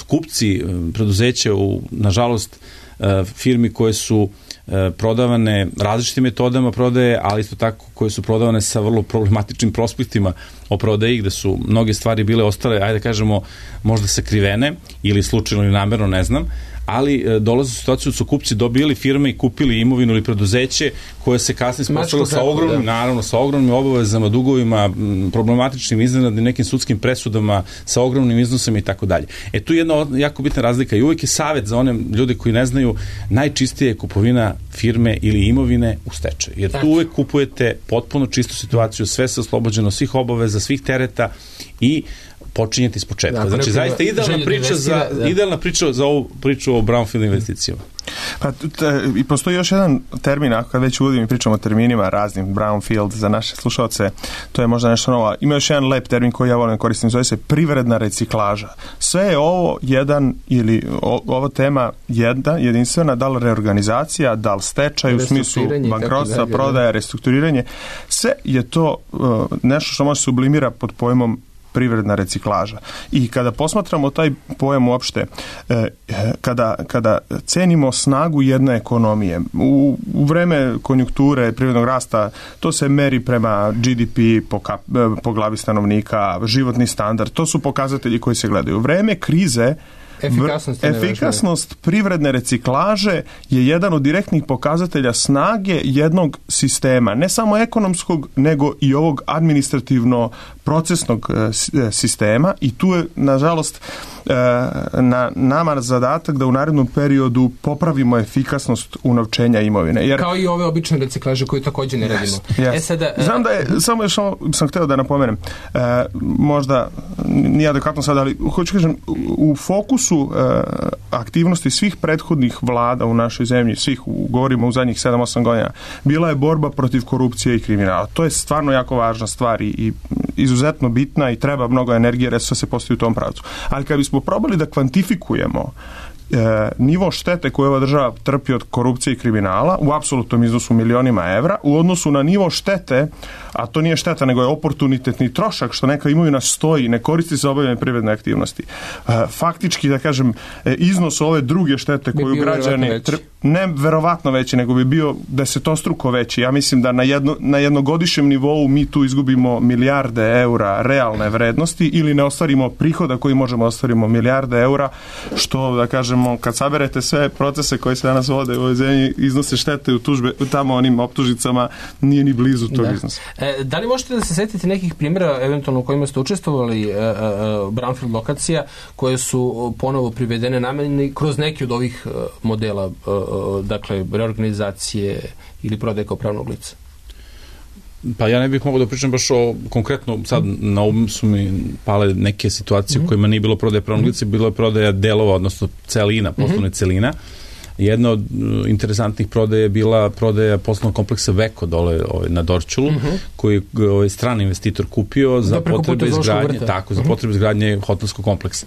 kupci e, preduzeća u, nažalost, e, firmi koje su e, prodavane različitim metodama prodaje, ali isto tako koje su prodavane sa vrlo problematičnim prospektima o prodaji, gde su mnoge stvari bile ostale, ajde da kažemo, možda sakrivene ili slučajno ili namerno, ne znam, ali e, dolaze u situaciju da su kupci dobili firme i kupili imovinu ili preduzeće koje se kasnije spostavilo sa ogromnim, naravno, sa ogromnim obavezama, dugovima, problematičnim iznenadnim nekim sudskim presudama, sa ogromnim iznosima i tako dalje. E tu je jedna jako bitna razlika i uvijek je savjet za one ljude koji ne znaju, najčistije je kupovina firme ili imovine u stečaju. Jer tu uvijek kupujete potpuno čistu situaciju, sve se oslobođeno svih obaveza, svih tereta i počinjeti iz početka. Znači, zaista idealna priča za, idealna priča za ovu priču o brownfield investicijama. Pa, te, i postoji još jedan termin, ako kad već uvodim i pričamo o terminima raznim, brownfield za naše slušalce, to je možda nešto novo. Ima još jedan lep termin koji ja volim koristim, zove se privredna reciklaža. Sve je ovo jedan, ili o, ova tema jedna, jedinstvena, da li reorganizacija, da li stečaj u smislu bankrotstva, prodaja, restrukturiranje, sve je to uh, nešto što može se sublimira pod pojmom privredna reciklaža. I kada posmatramo taj pojam uopšte, eh, kada, kada cenimo snagu jedne ekonomije, u, u vreme konjunkture privrednog rasta, to se meri prema G D P po, kap, po glavi stanovnika, životni standard, to su pokazatelji koji se gledaju. U vreme krize Efikasnost, efikasnost privredne reciklaže je jedan od direktnih pokazatelja snage jednog sistema, ne samo ekonomskog, nego i ovog administrativno procesnog sistema, i tu je, nažalost, na nama zadatak da u narednom periodu popravimo efikasnost unovčenja imovine. Jer, kao i ove obične reciklaže koje također ne radimo. Yes, yes. E sada, znam da je, samo još sam hteo da napomenem, e, možda nije adekvatno sad, ali hoću kažem, u fokusu e, aktivnosti svih prethodnih vlada u našoj zemlji, svih, govorimo u zadnjih sedam osam godina, bila je borba protiv korupcije i kriminala. To je stvarno jako važna stvar i, i izuzetno bitna i treba mnogo energije, resursa se postoji u tom pravcu. Ali kad bismo probali da kvantifikujemo e, nivo štete koje ova država trpi od korupcije i kriminala u apsolutnom iznosu milionima evra u odnosu na nivo štete, a to nije šteta nego je oportunitetni trošak što neka imovina stoji, ne koristi se obavljanje privredne aktivnosti. E, faktički, da kažem, e, iznos ove druge štete koju građani tr... ne verovatno veći, nego bi bio desetostruko veći. Ja mislim da na, jedno, na jednogodišnjem nivou mi tu izgubimo milijarde eura realne vrednosti ili ne ostvarimo prihoda koji možemo ostvarimo milijarde eura, što, da kažemo, kad saberete sve procese koji se danas vode u ovoj zemlji, iznose štete u tužbe, tamo onim optužicama, nije ni blizu tog da. iznosa. E, da li možete da se setite nekih primjera, eventualno u kojima ste učestvovali, e, e, brownfield lokacija, koje su ponovo privedene nameni kroz neki od ovih e, modela, e, dakle, reorganizacije ili prodaje kao pravnog lica? Pa ja ne bih mogao da pričam baš o konkretno, sad na um su mi pale neke situacije mm-hmm. u kojima nije bilo prodaje pravnog lica, bilo je prodaja delova, odnosno celina, poslovne mm-hmm. celina. Jedna od uh, interesantnih prodaja je bila prodaja poslovnog kompleksa Veko dole ovaj, na Dorćolu, mm-hmm. koji je ovaj, strani investitor kupio za potrebe izgradnje, tako, za mm-hmm. potrebe izgradnje hotelskog kompleksa.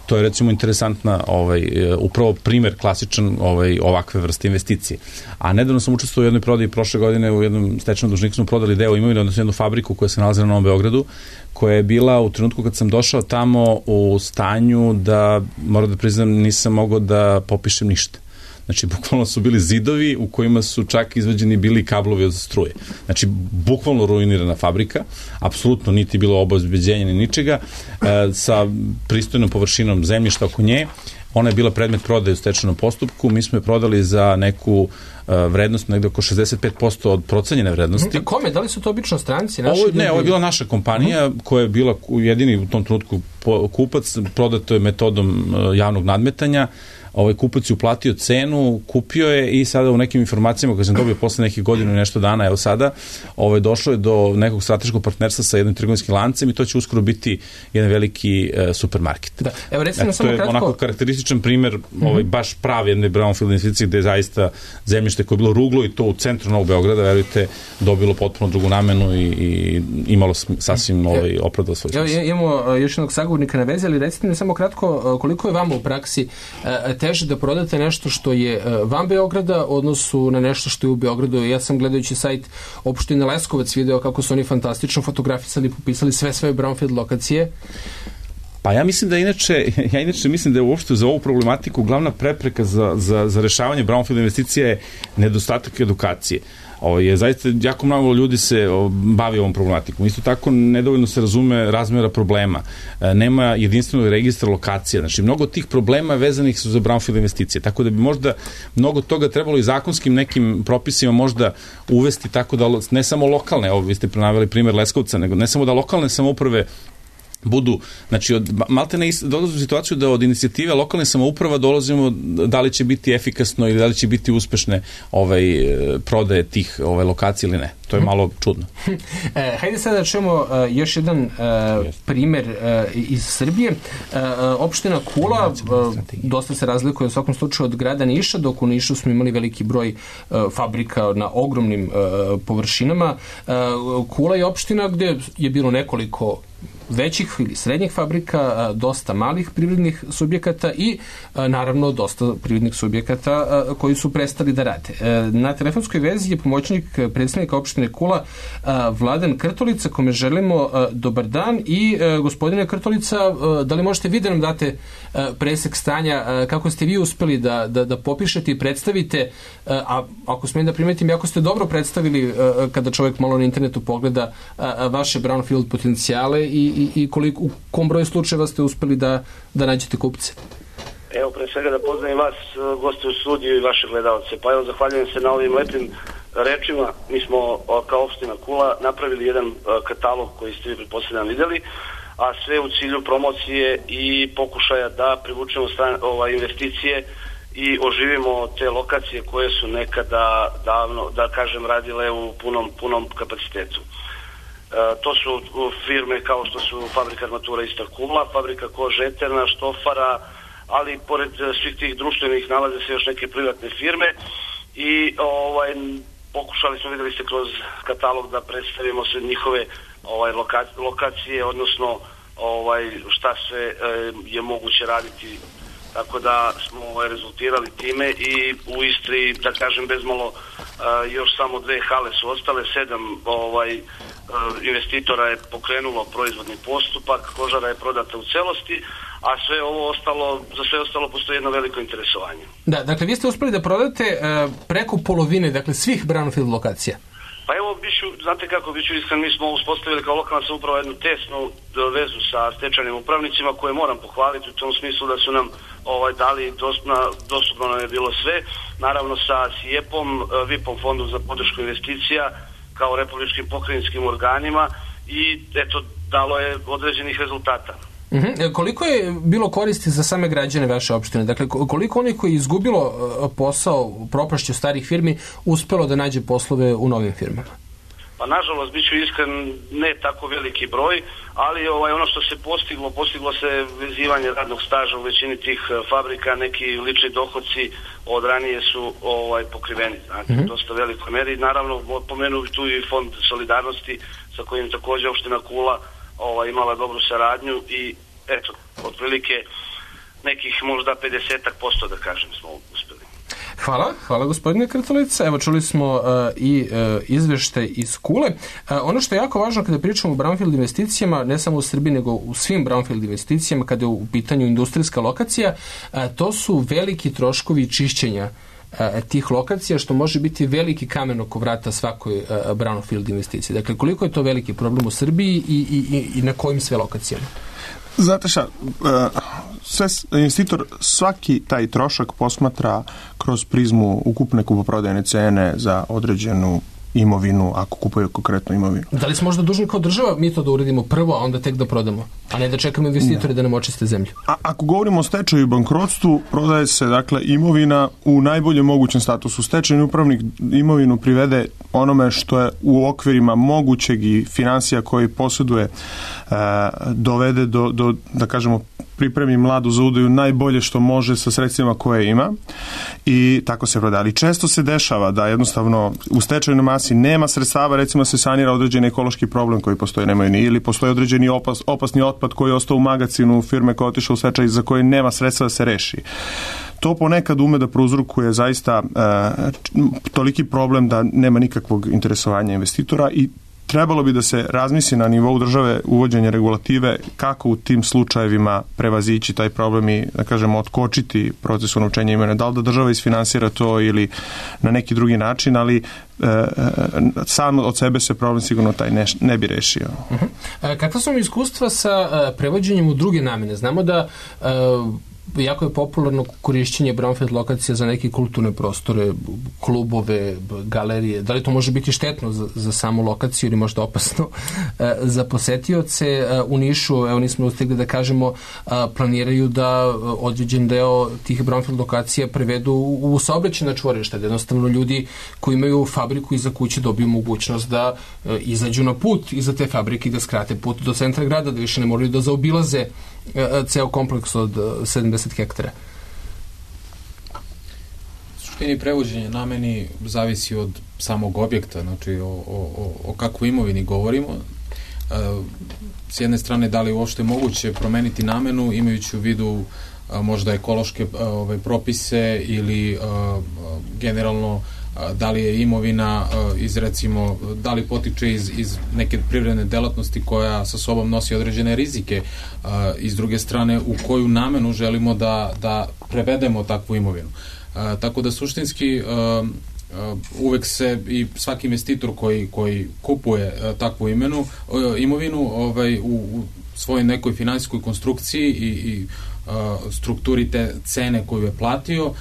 To je, recimo, interesantna, ovaj, upravo primer klasičan ovaj, ovakve vrste investicije. A nedavno sam učestvovao u jednoj prodaji prošle godine, u jednom stečajnom dužniku smo prodali deo imovine, odnosno jednu fabriku koja se nalazi na Novom Beogradu, koja je bila u trenutku kad sam došao tamo u stanju da, moram da priznam, nisam mogao da popišem ništa. Znači, bukvalno su bili zidovi u kojima su čak izvađeni bili kablovi od struje. Znači, bukvalno ruinirana fabrika, apsolutno niti bilo obezbeđenja ni ničega, e, sa pristojnom površinom zemljišta oko nje. Ona je bila predmet prodaje u stečajnom postupku, mi smo je prodali za neku uh, vrednost, negde oko šezdeset pet posto od procenjene vrednosti. A kome? Da li su to obično stranci? Naši ovo, ne, ovo je bila naša kompanija uh-huh. koja je bila jedini u tom trenutku kupac, prodato je metodom uh, javnog nadmetanja. ovaj kupac je uplatio cenu, kupio je i sada u nekim informacijama koje sam dobio posle nekih godina i nešto dana, evo sada, ovaj, došlo je do nekog strateškog partnerstva sa jednim trgovinskim lancem i to će uskoro biti jedan veliki e, supermarket. Da. Evo recimo e, samo to je kratko... onako karakterističan primer, ovaj, baš pravi jedne brownfield investicije gde je zaista zemljište koje je bilo ruglo i to u centru Novog Beograda, verujte, dobilo potpuno drugu namenu i, i imalo sasvim ovaj, opravdao svoj smisla. Evo imamo još jednog sagovornika na vezi, ali recite mi samo kratko koliko je vama u praksi teže da prodate nešto što je van Beograda u odnosu na nešto što je u Beogradu. Ja sam gledajući sajt opštine Leskovac video kako su oni fantastično fotografisali i popisali sve svoje brownfield lokacije. Pa ja mislim da inače, ja inače mislim da je uopšte za ovu problematiku glavna prepreka za, za, za rešavanje brownfield investicija je nedostatak edukacije. Ovo je zaista jako mnogo ljudi se bavi ovom problematikom. Isto tako nedovoljno se razume razmjera problema. Nema jedinstvenog registra lokacija. Znači, mnogo tih problema vezanih su za brownfield investicije. Tako da bi možda mnogo toga trebalo i zakonskim nekim propisima možda uvesti tako da ne samo lokalne, ovo vi ste prenaveli primjer Leskovca, nego ne samo da lokalne samouprave budu, znači od malte ne dolazimo u situaciju da od inicijative lokalne samouprava dolazimo da li će biti efikasno ili da li će biti uspešne ovaj prodaje tih ovaj lokacija ili ne. To je malo čudno. E, hajde sada da čujemo uh, još jedan uh, primer uh, iz Srbije. Uh, opština Kula uh, dosta se razlikuje u svakom slučaju od grada Niša, dok u Nišu smo imali veliki broj uh, fabrika na ogromnim uh, površinama. Uh, Kula je opština gde je bilo nekoliko većih ili srednjih fabrika, dosta malih privrednih subjekata i naravno dosta privrednih subjekata koji su prestali da rade. Na telefonskoj vezi je pomoćnik predstavnika opštine Kula Vladan Krtolica, kome želimo dobar dan i gospodine Krtolica, da li možete vi da nam date presek stanja, kako ste vi uspeli da, da, da popišete i predstavite, a ako smijem da primetim, jako ste dobro predstavili kada čovjek malo na internetu pogleda vaše brownfield potencijale i i, i koliko, u kom broju slučajeva ste uspeli da, da nađete kupce? Evo, pre svega da pozdravim vas, goste u studiju i vaše gledalce. Pa evo, zahvaljujem se na ovim lepim rečima. Mi smo kao opština Kula napravili jedan katalog koji ste vi pretpostavljam videli, a sve u cilju promocije i pokušaja da privučemo stan, ovaj, investicije i oživimo te lokacije koje su nekada davno, da kažem, radile u punom, punom kapacitetu. To su firme kao što su fabrika armatura Istar Kula, fabrika kože Eterna, Štofara, ali pored svih tih društvenih nalaze se još neke privatne firme i ovaj, pokušali smo, videli ste kroz katalog da predstavimo sve njihove ovaj, lokacije, odnosno ovaj, šta sve eh, je moguće raditi. Tako da smo ovaj, rezultirali time i u Istri, da kažem, bezmalo uh, još samo dve hale su ostale, sedam ovaj, uh, investitora je pokrenulo proizvodni postupak, kožara je prodata u celosti, a sve ovo ostalo, za sve ostalo postoji jedno veliko interesovanje. Da, dakle, vi ste uspeli da prodate uh, preko polovine, dakle, svih brownfield lokacija. Pa evo, biću, znate kako, biću iskren, mi smo uspostavili kao lokalna samouprava jednu tesnu vezu sa stečajnim upravnicima koje moram pohvaliti u tom smislu da su nam ovaj, dali, dostupno, dostupno nam je bilo sve, naravno sa S I E P-om, V I P-om, Fondom za podršku investicija, kao republičkim pokrajinskim organima i eto, dalo je određenih rezultata. Mm-hmm. Koliko je bilo koristi za same građane vaše opštine? Dakle, koliko oni koji je izgubilo posao propašću starih firmi uspelo da nađe poslove u novim firmama? Pa nažalost, bit ću iskren, ne tako veliki broj, ali ovaj, ono što se postiglo, postiglo se vezivanje radnog staža u većini tih fabrika, neki lični dohodci od ranije su ovaj, pokriveni, znači, mm-hmm. dosta velikoj meri. Naravno, pomenuo tu i Fond solidarnosti sa kojim također opština Kula Ova, imala dobru saradnju i eto, otprilike nekih možda pedeset posto da kažem smo uspeli. Hvala, hvala gospodine Krtolica. Evo čuli smo uh, i uh, izveštaj iz Kule. Uh, ono što je jako važno kada pričamo o brownfield investicijama, ne samo u Srbiji nego u svim brownfield investicijama kada je u pitanju industrijska lokacija, uh, to su veliki troškovi čišćenja tih lokacija, što može biti veliki kamen oko vrata svakoj uh, brownfield investiciji. Dakle, koliko je to veliki problem u Srbiji i, i, i na kojim sve lokacijama? Znate šta, sve, investitor svaki taj trošak posmatra kroz prizmu ukupne kupoprodajne cene za određenu imovinu, ako kupuju konkretnu imovinu. Da li smo možda dužni kao država mi to da uredimo prvo, a onda tek da prodamo, a ne da čekamo investitore da nam očiste zemlju? A ako govorimo o stečaju i bankrotstvu, prodaje se dakle imovina u najboljem mogućem statusu. Stečajni upravnik imovinu privede onome što je u okvirima mogućeg i financija koji posjeduje, e, dovede do, do, da kažemo, pripremi mladu za udaju najbolje što može sa sredstvima koje ima i tako se proda. Ali često se dešava da jednostavno u stečajnoj masi nema sredstava, recimo se sanira određeni ekološki problem koji postoji, nemaju ni, ili postoji određeni opas, opasni otpad koji je ostao u magacinu firme koja je otišla u stečaj za koje nema sredstva da se reši. To ponekad ume da prouzrokuje zaista e, toliki problem da nema nikakvog interesovanja investitora i trebalo bi da se razmisli na nivou države uvođenje regulative kako u tim slučajevima prevazići taj problem i, da kažemo, otkočiti proces unovčenja imovine. Da li da država isfinansira to ili na neki drugi način, ali e, sam od sebe se problem sigurno taj ne, ne bi rešio. Uh-huh. A, kakva su iskustva sa a, prevođenjem u druge namene? Znamo da a, jako je popularno korišćenje brownfield lokacija za neke kulturne prostore, klubove, galerije. Da li to može biti štetno za, za samu lokaciju ili možda opasno e, za posetioce? E, u Nišu, evo nismo ustigli da kažemo, a, planiraju da određen deo tih brownfield lokacija prevedu u, u saobraćajna čvorišta, da jednostavno ljudi koji imaju fabriku iza kuće dobiju mogućnost da e, izađu na put iza te fabrike i da skrate put do centra grada, da više ne moraju da zaobilaze ceo kompleks od sedamdeset hektara. Suštini prevođenje nameni zavisi od samog objekta, znači o, o, o kakvoj imovini govorimo. S jedne strane, da li je uopšte moguće promeniti namenu imajući u vidu možda ekološke ove, propise ili a, generalno da li je imovina iz, recimo, da li potiče iz, iz neke privredne delatnosti koja sa sobom nosi određene rizike, i s druge strane u koju namenu želimo da, da prevedemo takvu imovinu. Tako da suštinski uvek se i svaki investitor koji, koji kupuje takvu imenu, imovinu ovaj, u, u svojoj nekoj finansijskoj konstrukciji i, i strukturi te cene koju je platio, uh,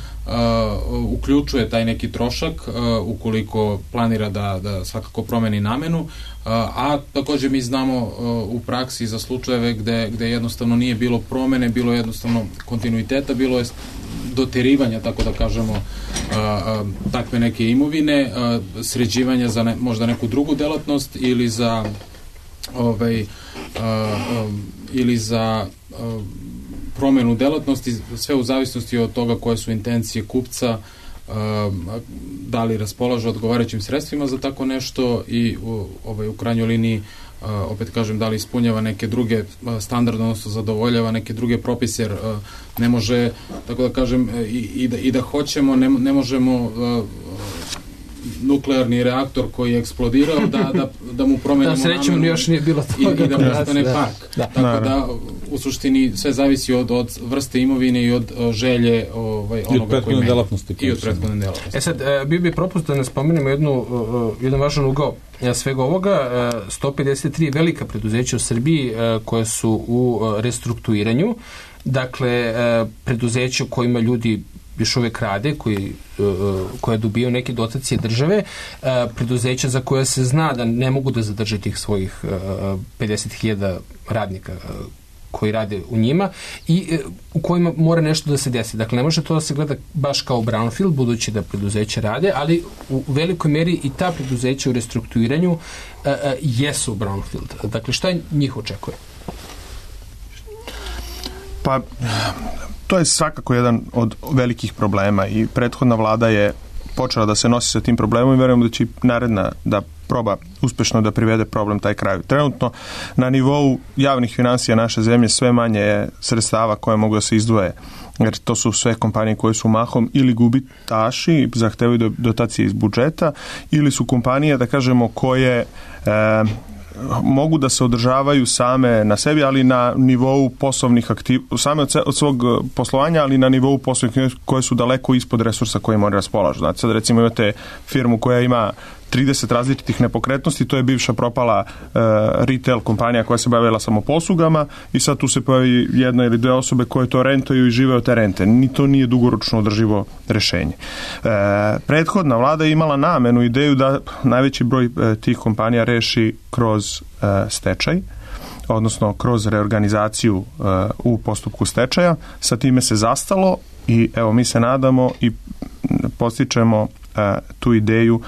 uključuje taj neki trošak uh, ukoliko planira da, da svakako promeni namenu, uh, a također mi znamo uh, u praksi za slučajeve gde, gde jednostavno nije bilo promene, bilo jednostavno kontinuiteta, bilo je doterivanja, tako da kažemo, uh, uh, takve neke imovine, uh, sređivanja za ne, možda neku drugu delatnost ili za ovaj, uh, um, ili za uh, promenu delatnosti, sve u zavisnosti od toga koje su intencije kupca, da li raspolaže odgovarajućim sredstvima za tako nešto i u, ovaj, u krajnjoj liniji, opet kažem, da li ispunjava neke druge standarde, odnosno zadovoljava neke druge propise, jer ne može, tako da kažem, i, i, da, i da hoćemo, ne, ne možemo nuklearni reaktor koji je eksplodirao da, da, da mu promenimo da, srećemo, još nije bilo toga. I, i da postane da, park. Da. Tako da, u suštini, sve zavisi od, od vrste imovine i od o, želje ovaj, onoga koji ima. Delatnosti. I od prethodne delatnosti. E sad, bio bi propust da ne spomenemo jednu, jedan važan ugao svega ovoga. sto pedeset tri velika preduzeća u Srbiji koje su u restrukturiranju. Dakle, preduzeća kojima ljudi još uvek rade, koji, koje dobiju neke dotacije države, preduzeća za koje se zna da ne mogu da zadrže tih svojih pedeset hiljada radnika koji rade u njima i u kojima mora nešto da se desi. Dakle, ne može to da se gleda baš kao brownfield, budući da preduzeća rade, ali u velikoj meri i ta preduzeća u restrukturiranju jesu brownfield. Dakle, šta njih očekuje? Pa, to je svakako jedan od velikih problema i prethodna vlada je počela da se nosi sa tim problemom i verujemo da će naredna da proba uspešno da privede problem taj kraju. Trenutno na nivou javnih finansija naše zemlje sve manje je sredstava koje mogu da se izdvoje, jer to su sve kompanije koje su mahom ili gubitaši, zahtevaju dotacije iz budžeta, ili su kompanije, da kažemo, koje e, mogu da se održavaju same na sebi, ali na nivou poslovnih aktivnosti, same od, od svog poslovanja, ali na nivou poslovnih koje su daleko ispod resursa koje moraju raspolažu. Znači, sad recimo imate firmu koja ima trideset različitih nepokretnosti, to je bivša propala e, retail kompanija koja se bavila samoposlugama i sad tu se pojavi jedna ili dve osobe koje to rentaju i žive od te rente. Ni to nije dugoročno održivo rešenje. E, prethodna vlada je imala namenu, ideju da najveći broj e, tih kompanija reši kroz e, stečaj, odnosno kroz reorganizaciju uh, u postupku stečaja. Sa time se zastalo i evo mi se nadamo i postičemo uh, tu ideju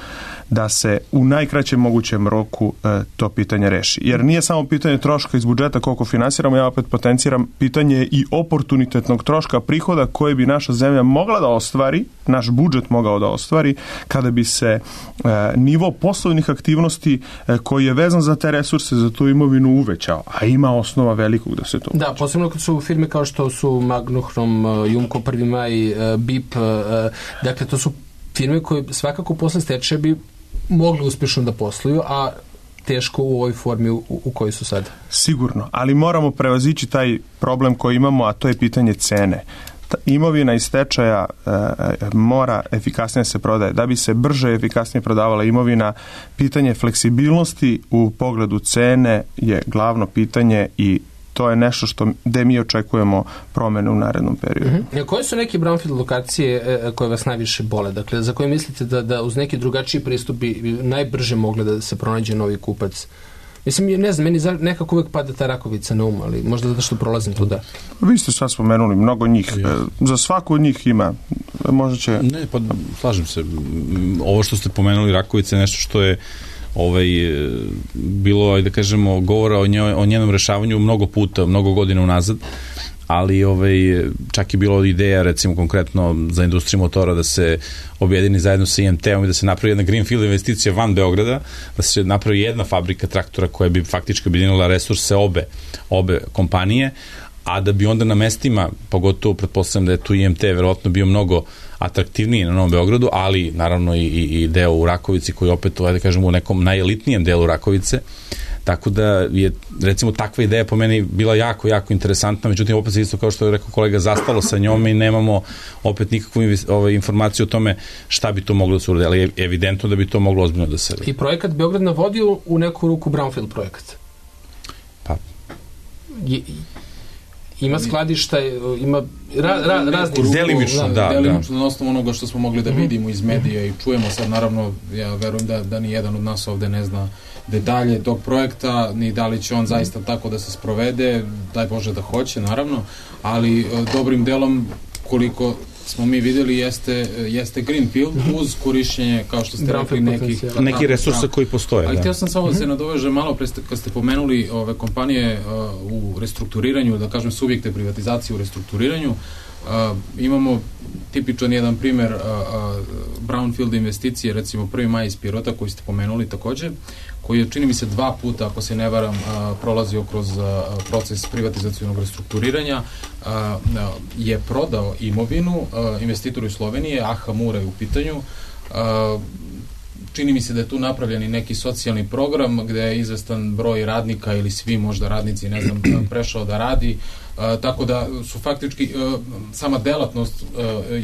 da se u najkraćem mogućem roku uh, to pitanje reši. Jer nije samo pitanje troška iz budžeta koliko finansiramo, ja opet potenciram pitanje i oportunitetnog troška prihoda koje bi naša zemlja mogla da ostvari, naš budžet mogao da ostvari, kada bi se uh, nivo poslovnih aktivnosti uh, koji je vezan za te resurse, za tu imovinu uvećao, a ima osnova velikog da se to uveća. Da, posebno kad su firme kao što su Magnohrom, Jumko, Prvi maj, uh, B I P, uh, dakle to su firme koje svakako posle stečaja bi mogli uspješno da posluju, a teško u ovoj formi u, u kojoj su sad. Sigurno, ali moramo prevazići taj problem koji imamo, a to je pitanje cene. Ta imovina iz stečaja e, mora efikasnije se prodaje. Da bi se brže i efikasnije prodavala imovina, pitanje fleksibilnosti u pogledu cene je glavno pitanje i to je nešto što gde mi očekujemo promene u narednom periodu. Mm-hmm. Koje su neke brownfield lokacije e, koje vas najviše bole? Dakle, za koje mislite da, da uz neki drugačiji pristup bi najbrže mogle da se pronađe novi kupac? Mislim, ne znam, meni nekako uvek pada ta Rakovica na um, ali možda zato što prolazim tuda. Vi ste sad spomenuli mnogo njih. Ja. Za svaku od njih ima. Možda će... Ne, pa slažem se. Ovo što ste pomenuli Rakovica je nešto što je ovaj, bilo, da kažemo, govora o, njoj, o njenom rešavanju mnogo puta, mnogo godina unazad, ali ovaj, čak je bilo ideja, recimo konkretno za industriju motora, da se objedini zajedno sa I M T-om i da se napravi jedna greenfield investicija van Beograda, da se napravi jedna fabrika traktora koja bi faktički objedinila resurse obe, obe kompanije, a da bi onda na mestima, pogotovo pretpostavljam da je tu I M T verovatno bio mnogo atraktivniji na Novom Beogradu, ali naravno i, i, i deo u Rakovici koji opet, da kažemo, u nekom najelitnijem delu Rakovice, tako da je, recimo, takva ideja po meni bila jako, jako interesantna, međutim, opet se isto, kao što je rekao kolega, zastalo sa njome i nemamo opet nikakvu ovaj, informaciju o tome šta bi to moglo da se uradi, ali je evidentno da bi to moglo ozbiljno da se... I projekat Beograd na vodi u neku ruku brownfield projekat? Pa... Je, ima skladišta, ima ra, ra, raznih... Delimično, da. Delimično, na osnovu onoga što smo mogli da vidimo iz medija i čujemo sad, naravno, ja verujem da, da ni jedan od nas ovde ne zna detalje tog projekta, ni da li će on zaista tako da se sprovede, daj Bože da hoće, naravno, ali dobrim delom, koliko smo mi videli, jeste, jeste greenfield uz korišćenje, kao što ste rekli, nekih... Neki resursa koji postoje. Ali htio sam samo da se nadovežem malo pre, kad ste pomenuli ove kompanije uh, u restrukturiranju, da kažem subjekte privatizacije u restrukturiranju, uh, imamo tipičan jedan primer uh, uh, brownfield investicije, recimo Prvi maj iz Pirota, koji ste pomenuli takođe, koji je, čini mi se, dva puta, ako se ne varam, uh, prolazio kroz uh, proces privatizacionog restrukturiranja, uh, je prodao imovinu uh, investitoru iz Slovenije, A H Mura je u pitanju. Uh, čini mi se da je tu napravljen i neki socijalni program gde je izvestan broj radnika ili svi možda radnici, ne znam, prešao da radi. Uh, tako da su faktički uh, sama delatnost uh,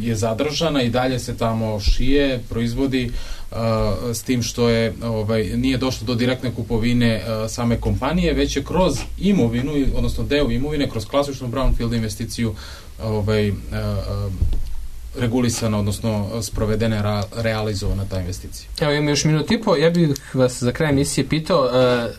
je zadržana i dalje se tamo šije, proizvodi, uh, s tim što je ovaj, nije došlo do direktne kupovine uh, same kompanije, već je kroz imovinu, odnosno deo imovine, kroz klasičnu brownfield investiciju ovaj, uh, uh, regulisana, odnosno sprovedene, ra, realizovana ta investicija. Evo, imamo još minut i po, ja bih vas za kraj emisije pitao, uh,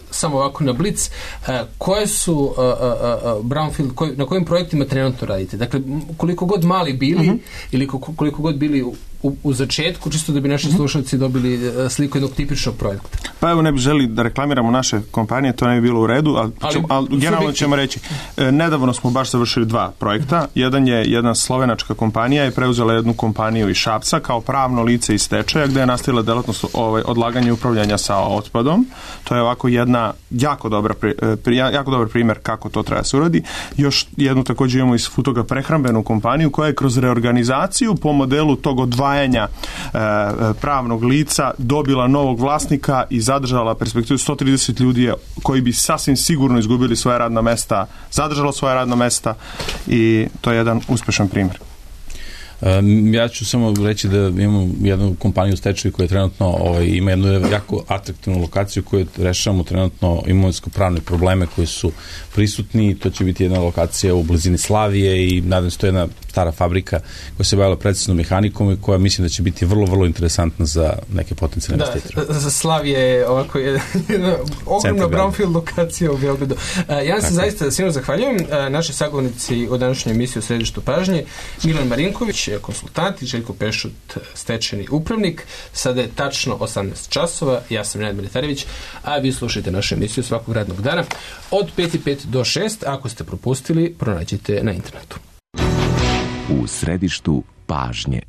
samo ovako na blic, uh, koje su uh, uh, brownfield, koj, na kojim projektima trenutno radite? Dakle, koliko god mali bili, uh-huh. ili koliko god bili u, u, u začetku, čisto da bi naši uh-huh. slušalci dobili uh, sliku jednog tipičnog projekta. Pa evo, ne bi želi da reklamiramo naše kompanije, to ne bi bilo u redu, ali, ali, ćemo, ali generalno ćemo reći, e, nedavno smo baš završili dva projekta. Jedan je jedna slovenačka kompanija je preuzela jednu kompaniju iz Šapca kao pravno lice iz stečaja, gde je nastavila delatnost ovaj, odlaganja i upravljanja sa otpadom. To je ovako jedna jako dobra pri, jako dobar primer kako to treba se uradi. Još jednu također imamo iz Futoga prehrambenu kompaniju koja je kroz reorganizaciju po modelu tog odvajanja e, pravnog lica dobila novog vlasnika i zadržala perspektivu sto trideset ljudi koji bi sasvim sigurno izgubili svoje radna mesta, zadržalo svoje radna mesta i to je jedan uspešan primjer. Um, ja ću samo reći da imamo jednu kompaniju u stečaju koja trenutno ovaj, ima jednu jako atraktivnu lokaciju koju rešavamo trenutno imovinsko-pravne probleme koji su prisutni. To će biti jedna lokacija u blizini Slavije i nadam se to je jedna stara fabrika koja se bavila precisnom mehanikom i koja mislim da će biti vrlo, vrlo interesantna za neke potencijalne investitore. Da, za Slavije je ovako jedna ogromna brownfield lokacija u Beogradu. Ja se zaista svima zahvaljujem. Naši sagovornici u današnjoj emisiji u Središtu pažnje, Milan Marinković, konsultant, i Željko Pešut, stečajni upravnik. Sada je tačno osamnaest časova, ja sam Nenad Militarević, a vi slušajte našu emisiju svakog radnog dana od pet i pet do šest. Ako ste propustili, pronađite na internetu. U Središtu pažnje.